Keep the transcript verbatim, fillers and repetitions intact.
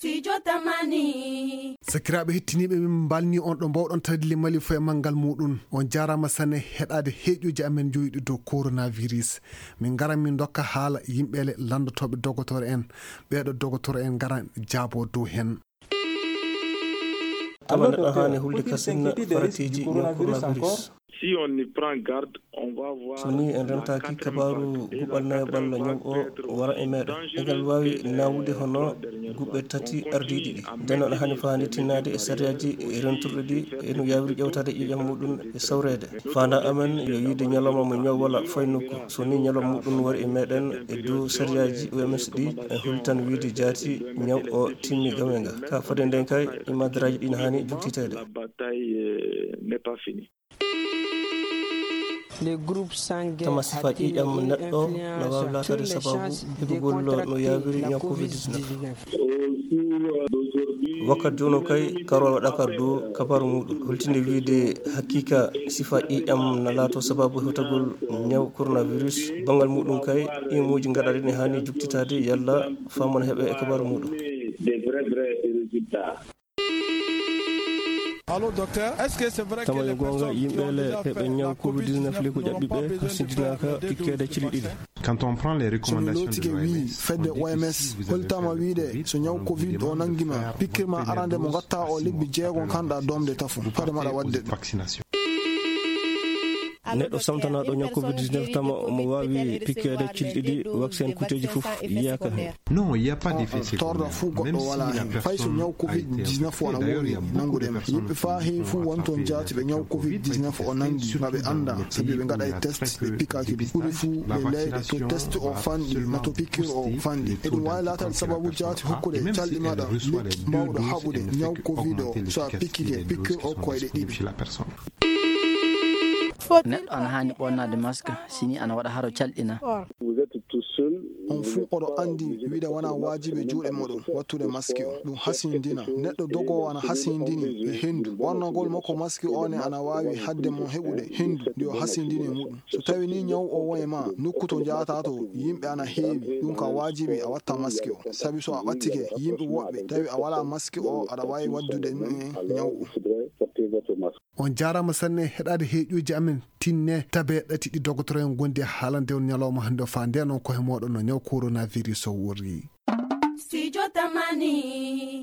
Studio Tamani. Sakiraaɓe hettiniiɓe, min mbalni on ɗo mbawɗon tawde limali fof e manngal muɗum. On jaaraama sanne heɗaade heeƴuuji amen jowiɗi dow coronavirus. Min ngaran min ndokka haala yimɓe le lanndotooɓe dogotoro en. Ɓeeɗo dogotoro en ngaran jaabo dow hen. Tama neɗɗo haani hulde kasinna faratiiji ñaw coronavirus. Si on y prend garde, on va voir. So ni en rentaaki, kabaaru guɓal nayaɓal ñaw o wara e meɗen. Egal waawi nawude hono guɓe tati ardiiɗi ɗi. Nden aɗa haani faani tinnaade e sariyaaji renturɗi ɗi, e no yaawiri ƴewtaade ƴiiƴam muɗum e sawreede. Faandaa amen yo yiide ñalawma mo ñaw wala fay nokku. So ni ñalawma muɗum wari e meɗen e dow sariyaaji O M S ɗi, en hollitan wiide jaati ñaw o timmi game nga. Ka fade nden kay, imadaraaji ɗin haani juktiteede. La bataille, euh, n'est pas finie. Tama sifa ƴiiƴam neɗɗo na waawi laataade sababu heɓugol no yaawiri ñaw covid dix-neuf. Wakkati jooni o kay, karol waɗaaka dow kabaaru muɗum. Holtinde wiide hakiika sifa ƴiiƴam na laato sababu hewtagol ñaw coronavirus, banngal muɗum kay, imuuji gaɗaaɗi ne haani juktitaade yalla faamon heɓe e kabaaru muɗum. Des vrais, vrais résultats. Tama yo goonga, yimɓe le heɓe ñaw covid dix-neuf le ko ƴaɓɓi ɓe, hasindinaaka pikkeede cili ɗiɗi. Quand on prend les recommandations de l'O M S, fedde O M S holtaama wiide so ñaw covid o nangima, pikkirma arande mo ngatta o lebbi jeego kanɗa domde tafo fade maɗa wadde ɗum. Neɗɗo samtanaaɗo ñaw covid dix-neuf tama omo waawi pikkeede cili ɗiɗi, vaccin kuuteeji fof yiyaaka heen. Non, il y a pas d'effet secondaire. Torra fuu goɗɗo walaa heen. Fay so ñaw covid dix-neuf wona woowi nanngude ma. Yimɓe faa heewi fuu wonton jaati ɓe ñaw covid dix-neuf o nanngi, ma ɓe annda, sabi ɓe ngaɗay test, ɓe pikaaki ɗum. Ɓuri fuu ɓe leyɗe to test o fanɗi, ma to pikiir o fanɗi. Eɗum waawi laataade sababu jaati hokkude calɗi maɗa lekki mbawɗo haɓude ñaw covid o so a pikike pikiir o koyɗe ɗiɗi. Neɗɗo ana haani ɓonnaade mask si ni ana waɗa haro calɗina. On fuu oɗo anndi wiide wona waajibi e juuɗe moɗon wattude maski o. Ɗum hasindina. Neɗɗo dogoowo ana hasindini e henndu. Ɓornagol makko maski o ne ana waawi haɗde mo heɓude henndu ndi o hasindini e muɗum. So tawi ni ñaw o won e ma, nokku to njahataa to yimɓe ana heewi, ɗum ka waajibi a watta maski o. Sabi so a ɓattike yimɓe woɓɓe, tawi a walaa maski o, aɗa waawi waddude ɗum e ñaw o. On jaaraama sanne heɗaade heeƴuuji amen. Tinne tabe ɗati ɗi dogotoro en gondi e haalande on ñalawma hannde o, faa ndeenon kohe mooɗon no ñaw coronavirus o worri. Studio Tamani.